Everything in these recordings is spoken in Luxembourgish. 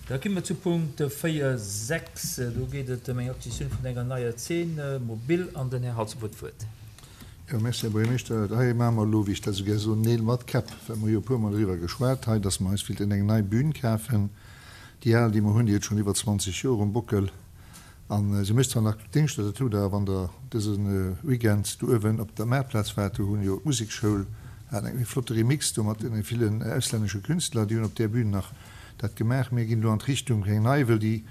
Da gi mer zu Punkt 4, 6. Do geet et ëm eng Acquisitioun vun enger neier Zeen mobil an den Här Halsdorf huet d'Wuert. Jo, merci, Här Buergermeeschter. Hei maache mer elo, wéi ech dat esou gär soen, Neel mat Käpp, well mer hu jo e puermol eriwwer geschwat hei, dass mer eis wéilten eng nei Bühn kafen. Déi al, déi mer hunn, déi huet schonn iwwer 20 Joer um Bockel a se mécht zwar nach Déngschter, dat hutt Der, wann Der dëse Weekend do uewen op der Maartplaz waart, do hunn jo d'Musekschoul hat eng flotte Remix do mat deene villen auslännesche Künstler, déi hunn op där Bühn nach dat gemaach. Mir ginn elo an d'Richtung fir eng nei, wëll déi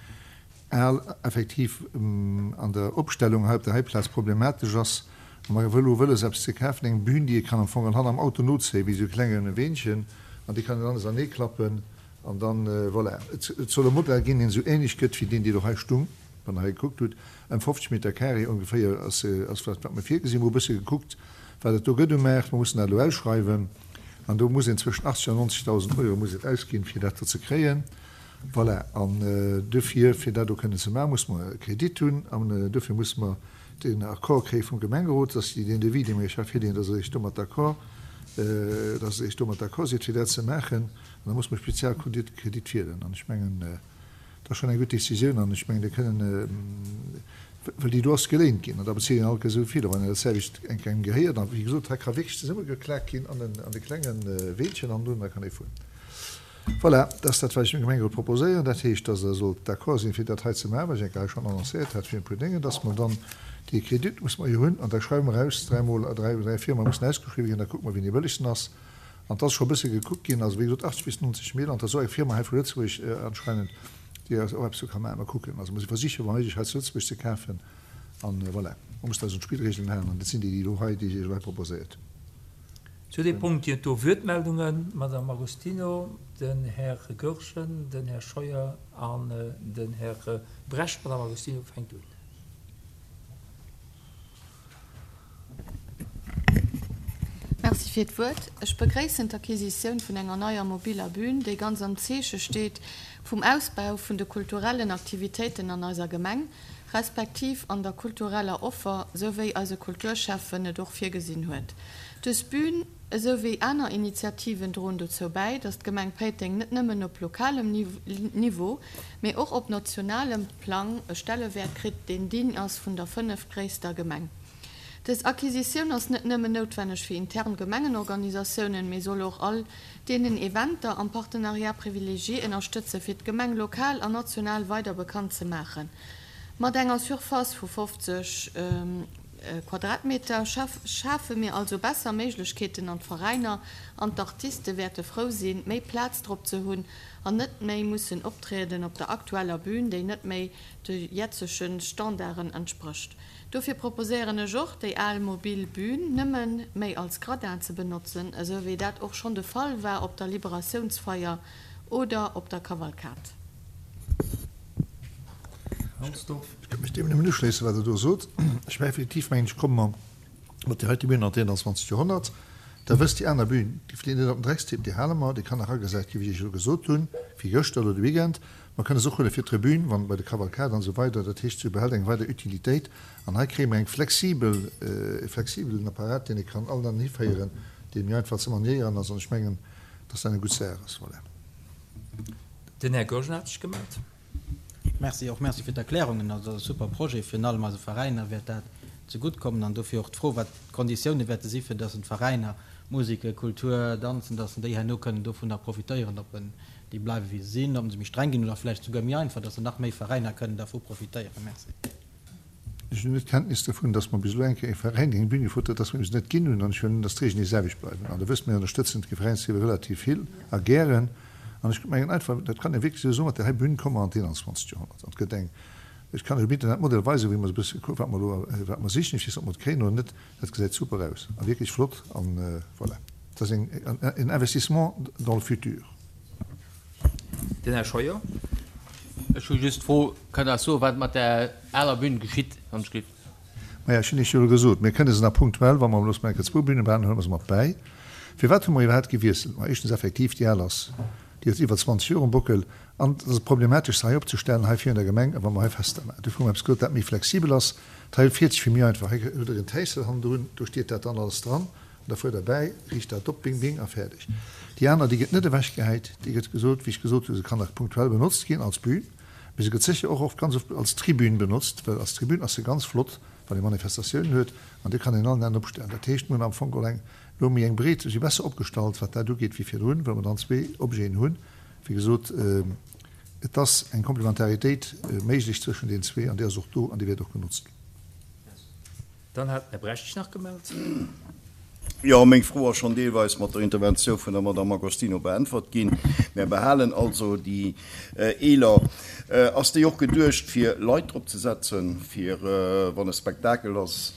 al effektiv an der Opstellung hei op der hei Plaz problematesch ass. A mer hu elo wëlles eppes ze kafen, eng Bühn, déi ee kann am Fong an hanner am Auto nozéien, wéi esou e klenge Weenchen, an dee kann een aneserneeklappen. An dann, voilà, et soll e Modell ginn, deen esou ähnlech gëtt wéi deen, dee do hei stung, wann Der hei gekuckt hutt, ëm 50 Meter carré ongeféier ass, ass wat, wat mer virgesinn. Mer hu e bësse gekuckt, wat et do gëtt um Maart. Mer mussen dat elo ausschreiwen an do muss een zwëschen 80 an 90.000 Euro muss een ausginn, fir dat do ze kréien. Voilà, an dofir, fir dat do kënnen ze maachen, musse mer e Kredit hunn an dofir musse mer den Accord kréie vum Gemengerot, dass déi deen Devis, dee mer Iech hei virleeën, dass Der Iech domat d'accord, dass Der Iech domat d'accord sidd, fir dat ze maachen. An da muss mer Spezialkredit Kredit wielen. An ech mengen, dat ass schonn eng gutt Décisioun. An ech mengen, dir kënnen, well déi do ass geléint ginn, an da bezilt een alt esou vill. A wann een dat selwecht eng Kéier engem gehéiert, an wéi gesot, hei ka wierklech zesummegeklakt ginn an den, an de klenge Weelchen an dunn, da kann ee fueren. Voilà, dat ass dat, wat ech dem Gemengerot proposéieren. Dat heescht, dass Der sollt d'accord sinn, fir dat hei ze maachen, wat ech eng Kéier hei schonn annoncéiert hat virun e puer Déngen, dass mer dann dee Kredit musse mer jo hunn, an da schreiwe mer aus, dräimol, dräi, dräi Firme mussen ausgeschriwwen ginn, da kucke mer, wien dee bëllegsten ass. An 't ass scho e bësse gekuckt ginn, also wéi gesot 80 bis 90 Mille, an 't ass och eng Firma hei vu Lëtzebuerg anscheinend, déi eis och eppes do ka maachen. Mer kucken, also mer si versichen wa méiglech hei zu Lëtzebuerg ze kafen an voilà, mer mussen eis un d'Spillregeln halen an dat sinn déi, déi elo hei, déi ech iech elo hei proposéiert hunn. Zu deem Punkt ginn et do Wuertmeldungen, D'Madame Agostino, den Här Goergen, den Här Scheuer an den Här Brecht. D'Madame Agostino fänkt un. Merci fir d'Wuert. Ech begréissen d'Acquisitioun vun enger neier mobiler Bühn, déi ganz am Zeeche steet vum Ausbau vun de kulturellen Aktivitéiten an eiser Gemeng, respektiv an der kultureller Offer, sou wéi eise Kulturschäffen et och virgesinn huet. Dës Bühn, esou wéi aner Initiativen, droen dozou bäi, datt d'Gemeng Péiteng net nëmmen op lokalem Niveau, mee och op nationalem Plang e Stellewäert kritt, deen digne ass vun der fënneftgréisster Gemeng. Dës Acquisitioun ass net nëmmen noutwenneg fir intern Gemengenorganisatiounen, mee soll och all deenen Eventer am Partenariat privilégié ënnerstëtzen, fir d'Gemeng lokal an national weider bekannt ze maachen. Mat enger Surface vu 50 Quadratmeter schafe mir also besser Méiglechkeeten an d'Veräiner an d'Artiste wäerte frou sinn, méi Plaz drop ze hunn an net méi mussen optrieden op der aktueller Bühn, déi net méi de jetzege Standarden entsprécht. Dofir proposéieren ech och, déi al mobil Bühn nëmme méi als Gradin ze benotzen, esou wéi dat och schonn de Fall war op der Liberatiounsfeier oder op der Kavalkad. Ech kënnt mech deem nëmmen uschléissen, wat Der do sot. Ech war effektiv, mengen ech, komme mer mat där heite Bühn an d'Eentwanzegt Joerhonnert. Der wësst, déi aner Bühn, déi flitt net op den Dreckstipp, déi hale mer, déi kann nach agesat ginn, wéi ech elo gesot hunn, wéi gëschter oder de Weekend. Mer kënne se och huele fir d'Tribün, wann bei de Kavalkade an esou weider. Dat heescht, se behält eng weider Utilitéit. An hei kréie mer eng flexibel, e flexibelen Apparat, deen ee kann all dann hiféieren, dee méi einfach ze maniéieren ass. An ech mengen, dass dat eng gutt Saach ass. Voilà. Den Här Goergen hat sech gemellt. Merci, och merci fir d'Erklärungen. Also dat ass e super Projet. Virun allem eise Veräiner wäert dat zegutt kommen. An dofir och d'Fro, wat d'Konditioune wäerte si fir dass en d'Veräiner, Museke, Kultur, Danzen, dass en déi herno kënnen dovunner profitéieren, ob en déi bleiwe wéi se sinn, ob se méi streng ginn oder vläicht souguer méi einfach, dass nach méi Veräiner kënnen dervu profitéieren. Merci. Ech hunn net Kenntnis dovun, dass mer bis elo eng Kéier ee Veräin, deen eng Bühn gefrot huet, dass mer em se net ginn hunn. An ech huelen un, dass d'Regeln déi selwecht bleiwen. An Der wësst, mir ënnerstëtzen d'Veräinsliewe relativ vill a gären. An ech mengen einfach, dat kann ee wierklech esou soen, mat där hei Bühn komme mer an d'Eenanzwanzegt Joerhonnert. An et gëtt eng, ech kann lech um Internet d'Modell weisen, wéi mer se e bësse kucken, wat mer elo, wat mer sichen. Ech weess net, ob mer et kréien oder net. Dat gesäit super aus a wierklech flott. An voilà, dat ass eng, en Investissement dans le futur. Den Här Scheuer. Ech hu just d'Fro, Kënnt Der eis soen, wat mat där aler Bühn geschitt, wann ech giff? Maja, ech hunn Iech jo elo gesot, mir kënne se nach punktuell, wa mer elo eng Kéier zwou Bühne brauchen, huele mer se mat bäi. Firwat hu mer iwwerhaapt gewiesselt? Ma éischtens effektiv, déi al ass, déi huet iwwer 20 Joer um Bockel an et ass problematesch, se hei opzestellen, hei virun der Gemeng, wa mer hei Fester maachen. Dofir hu mer eppes gesot, dat méi flexibel ass. D'Hei fiert sech fir méi einfach. Hei hutt Der en Täissel hannendrun, do steet dat dann alles dran. An da fuert Der bäi, riicht dat op, bing, bing, a fäerdeg. Déi aner, déi gëtt net ewechgehäit, déi gëtt gesot, wéi ech gesot hunn, se kann nach punktuell benotzt ginn als Bühn, mee se gëtt sécher och oft, ganz oft als Tribün benotzt, well als Tribün ass se ganz flott, wann ee Manifestatiounen huet, an déi kann een allen Enn opstellen. Dat heescht, mir hunn am Fong geholl eng elo méi eng breet, si besser opgestallt, wat dat ugeet, wéi virdrun, well mer dann zwee Objeten hunn. Wéi gesot, et ass eng Komplementaritéit méiglech zwëschen deenen zwee, an déi ass och do an déi wäert och genotzt ginn. Dann hat den Här Brecht sech nach gemellt. Jo, meng Fro ass schonn deelweis mat der Interventioun vun der Madame Agostino beäntwert ginn. Mär behalen also déi eeler. Ass déi och geduecht, fir Leit drop ze setzen, fir wann e Spektakel ass,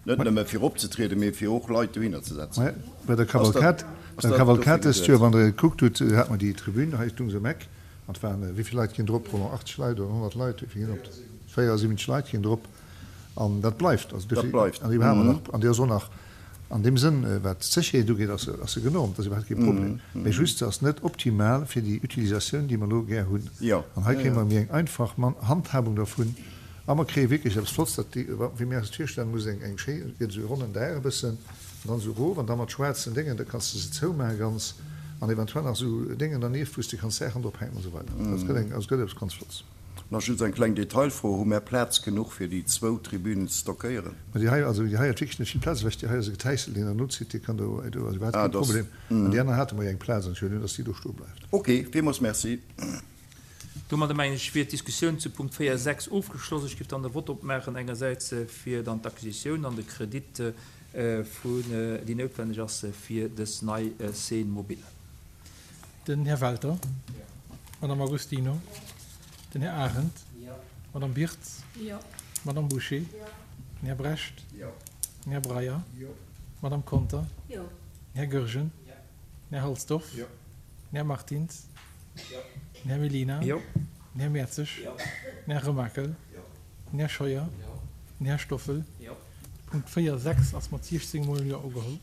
net nëmme fir opzetrieden, mee fir och Leit dohinner ze setzen? Bei der Cavalcade, bei der Cavalcade dëst Joer, wann Der et gekuckt hutt, hate mer déi Tribün hei, stung se um Eck, an et waren, wéi vill Leit ginn drop? Roland, 80 Leit oder 100 Leit? Wéi vill ginn op? 74 Leit ginn drop. An dat bleift. Also dofir, an déi hate mer nach, an déi ass och nach an deem Sënn, wat d'Sécherheet ugeet, ass se, ass se genormt, dat ass iwwerhaapt kee Problem. Mä just, se ass net optimal fir déi Utilisatioun, déi mer elo gär hunn. An hei kréie mer méi eng einfach Handhabung dervun a mer kréie wierklech eppes Flotts, dat déi, wéi mir eis et virstellen, muss eng, eng schéi, et gëtt esou e ronnen Daach e bëssen an dann esou erof an da mat schwaarzen Déngen, da kanns de se zoumaache ganz an eventuell nach esou Déngen dernieft, wou s de kanns Saachen drop hänken an esou weider. Dat gëtt eng, also et gëtt eppes ganz Flotts. Nach just eng kleng Detailfro, Hu mär Plaz genuch fir déi zwou Tribünen ze stockéieren? Ma déi hei, also déi hei huet wierklech net vill Plaz ewech. Déi hei ass e Getäissel, deen der nozitt, dee kann do, do ass iwwerhaapt kee Problem. An déi aner hate mer jo eng Plaz an ech huelen un, dass déi do stoe bleift. Ok, villmools Merci. Domadder mengen ech wier d'Diskussioun zu Punkt 4, 6 ofgeschloss. Ech géif dann de Vott opmaachen, engersäits fir dann d'Acquisitioun an de Kredit vun, déi noutwenneg ass fir dës nei Scène mobile. Den Här Welter. D'Madame Agostino. Den Här Arendt. D'Madame Birtz. D'Madame Bouché. Den Här Brecht. Den Här Breyer. D'Madame Conter. Den Här Goergen. Den Här Halsdorf. Den Här Martins. Den Här Mellina. Den Här Mertzig. Den Här Remakel. Den Här Scheuer. Den Här Stoffel. Punkt 4, 6 ass mat 16 mol Jo ugeholl.